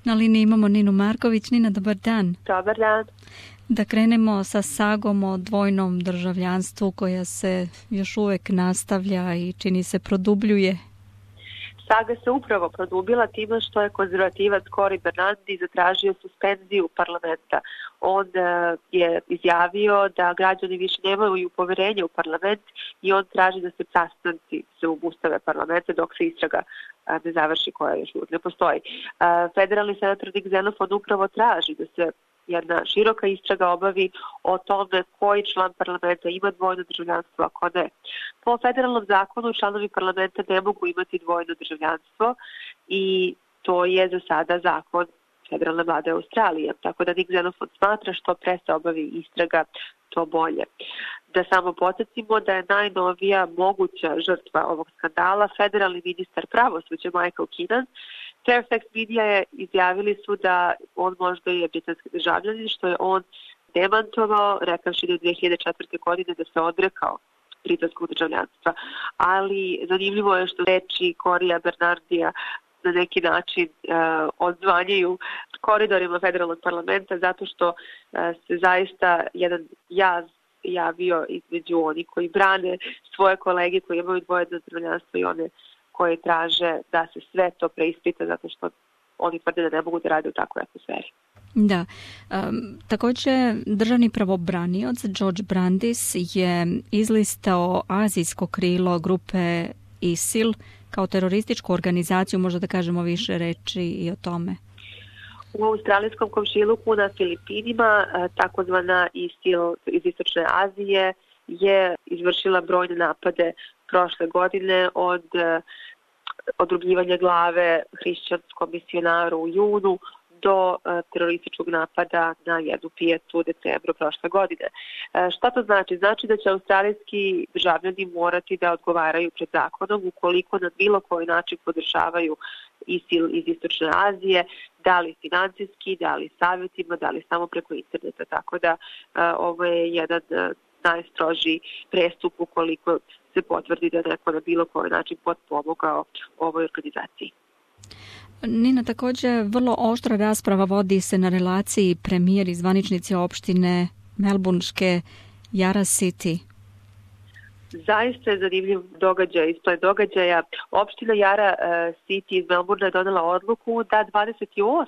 Na liniji imamo Ninu Marković. Nina, dobar dan. Dobar dan. Da krenemo sa sagom o dvojnom državljanstvu koja se još uvek nastavlja i čini se produbljuje. Saga se upravo produbila time što je konzervativac Cory Bernardi zatražio suspenziju parlamenta. On je izjavio da građani više nemaju poverenje u parlament i on traži da se sastanci se obustave parlamenta dok se istraga ne završi, koja još uvijek ne postoji. Federalni senator Dick Xenophon upravo traži da se jedna široka istraga obavi o tome koji član parlamenta ima dvojno državljanstvo, ako ne. Po federalnom zakonu članovi parlamenta ne mogu imati dvojno državljanstvo i to je za sada zakon federalne vlade Australije. Tako da Dick Xenophon smatra što pre se obavi istraga, to bolje. Da samo podsjetimo da je najnovija moguća žrtva ovog skandala federalni ministar pravosuđa Michael Keenan. Fairfax Media je izjavili su da on možda je britanski državljanin, što je on demantovao, rekavši da 2004. godine da se odrekao britanskog državljanstva. Ali zanimljivo je što reči Corya Bernardija na neki način odzvanjaju koridorima federalnog parlamenta zato što se zaista jedan jaz javio između onih koji brane svoje kolege koji imaju dvojno državljanstvo i one koje traže da se sve to preispita zato što oni tvrde da ne mogu da rade u takvoj atmosferi. Da. Također državni pravobranioc George Brandis je izlistao azijsko krilo grupe ISIL kao terorističku organizaciju, možda da kažemo više reči i o tome. U australijskom komšiluku na Filipinima takozvana ISIL iz Istočne Azije je izvršila brojne napade prošle godine od odrubljivanja glave hrišćanskom misionaru u junu do terorističkog napada na jednu pijacu u decembru prošle godine. Šta to znači? Znači da će australijski državljani morati da odgovaraju pred zakonom ukoliko na bilo koji način podržavaju ISIL iz Istočne Azije, da li financijski, da li savjetima, da li samo preko interneta. Tako da ovo je jedan najstrožiji prestup ukoliko se potvrdi da neko na bilo koji način potpomogao ovoj organizaciji. Nina, također vrlo oštra rasprava vodi se na relaciji premijer i zvaničnici opštine melburnške Yarra City. Zaista je zanimljiv događaj, ispred događaja. Opština Yarra City iz Melbourne je donela odluku da 28.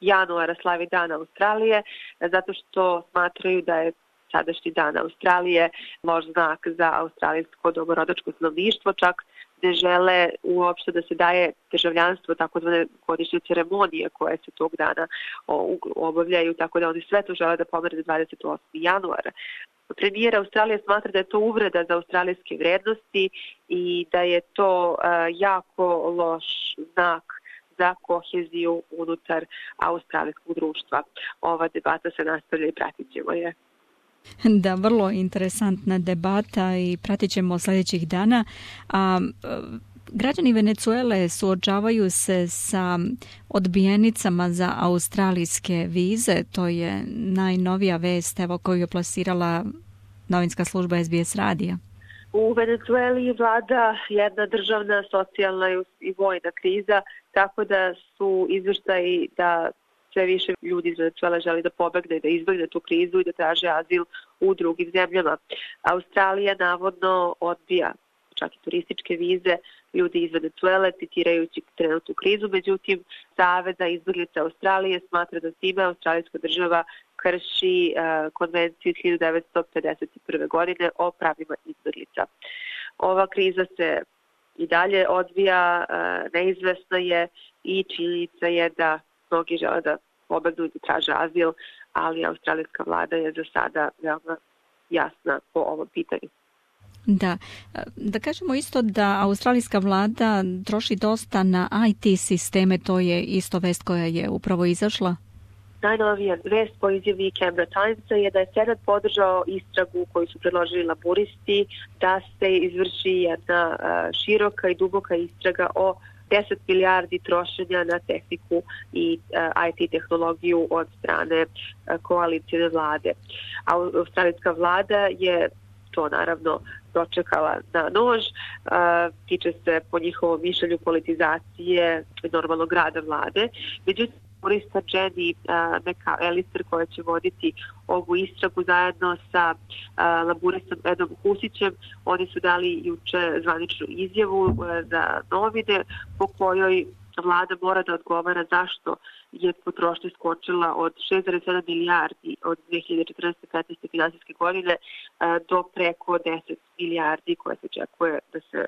januara slavi Dan Australije, zato što smatraju da je sadašnji Dan Australije loš znak za australijsko domorodačko stanovništvo, čak ne žele uopšte da se daje državljanstvo, takozvane godišnje ceremonije koje se tog dana obavljaju, tako da oni sve to žele da pomere 28. januara. Premijer Australije smatra da je to uvreda za australijske vrednosti i da je to jako loš znak za koheziju unutar australijskog društva. Ova debata se nastavlja i pratit ćemo je. Da, vrlo interesantna debata i pratit ćemo sljedećih dana. Građani Venezuele suočavaju se sa odbijenicama za australijske vize. To je najnovija vest koju je plasirala novinska služba SBS radija. U Venezueli vlada jedna državna, socijalna i vojna kriza, tako da su izvještaji da sve više ljudi iz Venezuele želi da pobegne, da izbegne tu krizu i da traže azil u drugim zemljama. Australija navodno odbija čak i turističke vize ljudi iz Venezuele, citirajući trenutnu krizu. Međutim, Savez za izbeglice Australije smatra da time australijska država krši konvenciju 1951. godine o pravima izbeglica. Ova kriza se i dalje odvija, neizvesna je i činjenica je da mnogi žele da pobegnu i da traže azil, ali australijska vlada je za sada veoma jasna po ovom pitanju. Da kažemo isto da australijska vlada troši dosta na IT sisteme, to je isto vest koja je upravo izašla. Najnovija vest po izjavi Canberra Timesa je da je Senat podržao istragu koju su predložili laburisti da se izvrši jedna široka i duboka istraga o 10 milijardi trošenja na tehniku i IT tehnologiju od strane koalicijne vlade. Australijska vlada je to naravno dočekala na nož. Tiče se po njihovom mišljenju politizacije normalnog rada vlade. Međutim, laburista Jenny McAllister, koja će voditi ovu istragu zajedno sa laburistom Edom Husićem, oni su dali juče zvaničnu izjavu za novine po kojoj vlada mora da odgovara zašto je potrošnja skočila od 6,7 milijardi od 2014-15. finansijske godine do preko 10 milijardi koje se očekuje da se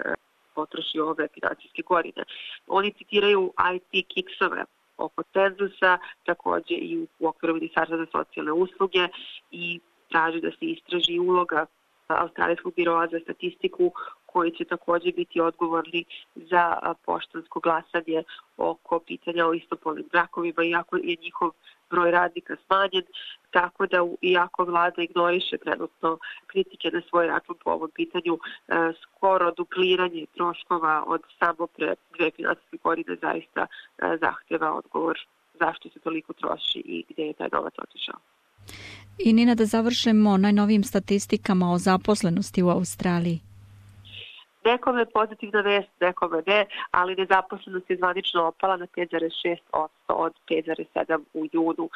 potroši ove finansijske godine. Oni citiraju IT kiksove oko cenzusa, takođe i u okviru Ministarstva za socijalne usluge i traži da se istraži uloga Australijskog biroa za statistiku koji će takođe biti odgovorni za poštansko glasanje oko pitanja o istopolnim brakovima, iako je njihov broj radnika smanjen, tako da iako vlada ignoriše trenutno kritike na svoj račun po ovom pitanju, skoro dupliranje troškova od samo pre 2 finansijske godine zaista zahteva odgovor zašto se toliko troši i gde je taj novac otišao. I Nina, da završimo najnovijim statistikama o zaposlenosti u Australiji. Nekome je pozitivna vest, nekome ne, ali nezaposlenost je zvanično opala na 5,6% od 5,7% u junu.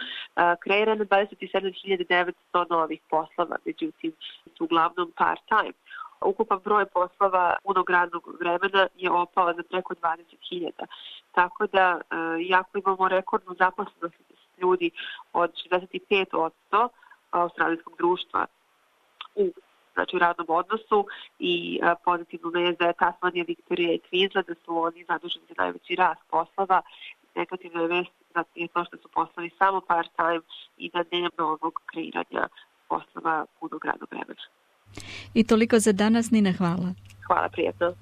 Kreirano 27.900 novih poslova, međutim su uglavnom part-time. Ukupan broj poslova punog radnog vremena je opao za preko 20.000. Tako da, iako imamo rekordnu zaposlenost ljudi od 65% australijskog društva u radnom odnosu i pozitivno vest da je Tasmanija, Viktorija i Queensland, da su oni zaduženi za najveći rast poslova. Negativna je vest da je to što su poslovi samo part-time i da nema novog kreiranja poslova punog radnog vremena. I toliko za danas, Nina, hvala. Hvala, prijetno.